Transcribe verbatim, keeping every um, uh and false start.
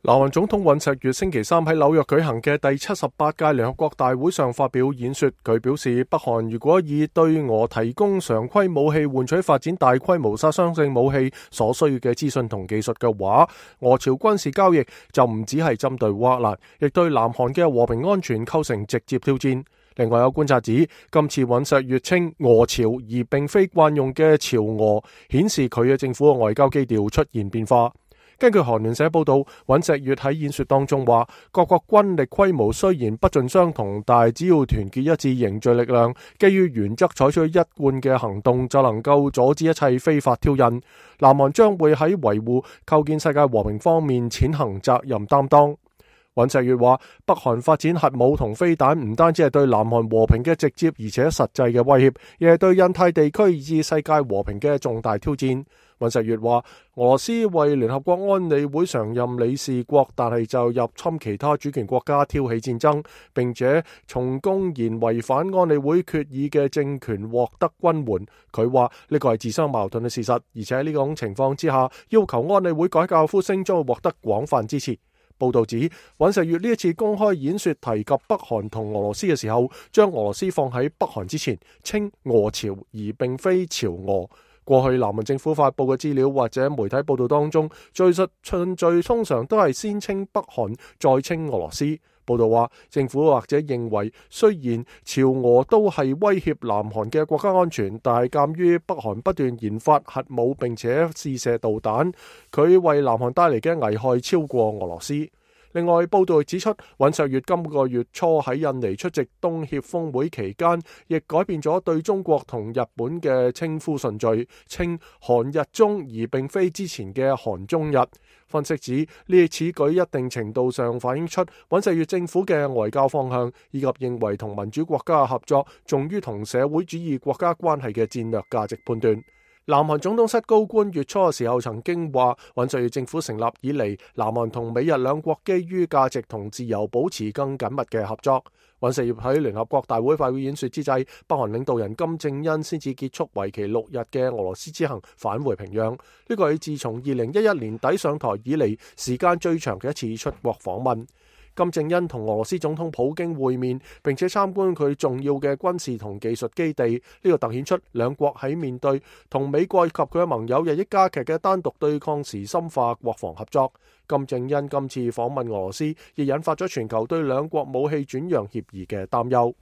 南韓總統尹錫悅星期三喺紐約舉行嘅第七十八屆聯合國大會上發表演說，佢表示北韓如果以對俄提供常規武器換取發展大規模殺傷性武器所需要嘅資訊同技術嘅話，俄朝軍事交易就唔只係針對烏克蘭，亦對南韓嘅和平安全構成直接挑戰。另外有觀察指，今次尹錫悅稱俄朝而並非慣用嘅朝俄，顯示佢嘅政府嘅外交基調出現變化。根據韓聯社報道，尹錫悅喺演說當中話，各國軍力規模雖然不盡相同，但只要團結一致凝聚力量，基於原則採取一貫嘅行動，就能夠阻止一切非法挑釁。南韓將會喺維護構建世界和平方面踐行責任擔當。尹錫悅話，北韓發展核武同飛彈唔單止係對南韓和平嘅直接而且實際嘅威脅，亦係對印太地區以至世界和平嘅重大挑戰。尹錫悅話，俄羅斯為聯合國安理會常任理事國，但係就入侵其他主權國家挑起戰爭，並且從公然違反安理會決議嘅政權獲得軍援。佢話呢個係自相矛盾嘅事實，而且喺呢種情況之下，要求安理會改革呼聲將會獲得廣泛支持。報道指，尹錫悅呢一次公開演說提及北韓同俄羅斯嘅時候，將俄羅斯放喺北韓之前，稱俄朝而並非朝俄。過去南韓政府發佈嘅資料或者媒體報道當中，敘述順序通常都係先稱北韓，再稱俄羅斯。報道話，政府或者認為，雖然朝俄都係威脅南韓嘅國家安全，但係鑑於北韓不斷研發核武並且試射導彈，佢為南韓帶嚟嘅危害超過俄羅斯。另外，報道指出，尹錫悅今個月初喺印尼出席東協峰會期間，亦改變咗對中國同日本嘅稱呼順序，稱韓日中而並非之前嘅韓中日。分析指呢此舉一定程度上反映出尹錫悅政府嘅外交方向，以及認為同民主國家合作重於同社會主義國家關係嘅戰略價值判斷。南韓總統室高官月初嘅時候曾經話，尹錫悅政府成立以嚟，南韓同美日兩國基於價值同自由保持更緊密嘅合作。尹錫悅喺聯合國大會發表演說之際，北韓領導人金正恩先至結束為期六日嘅俄羅斯之行，返回平壤。呢個係自從二零一一年底上台以嚟時間最長嘅一次出國訪問。金正恩同俄羅斯總統普京會面，並且參觀佢重要嘅軍事同技術基地，呢個凸顯出兩國喺面對同美國以及佢嘅盟友日益加劇嘅單獨對抗時深化國防合作。金正恩今次訪問俄羅斯，亦引發咗全球對兩國武器轉讓協議嘅擔憂。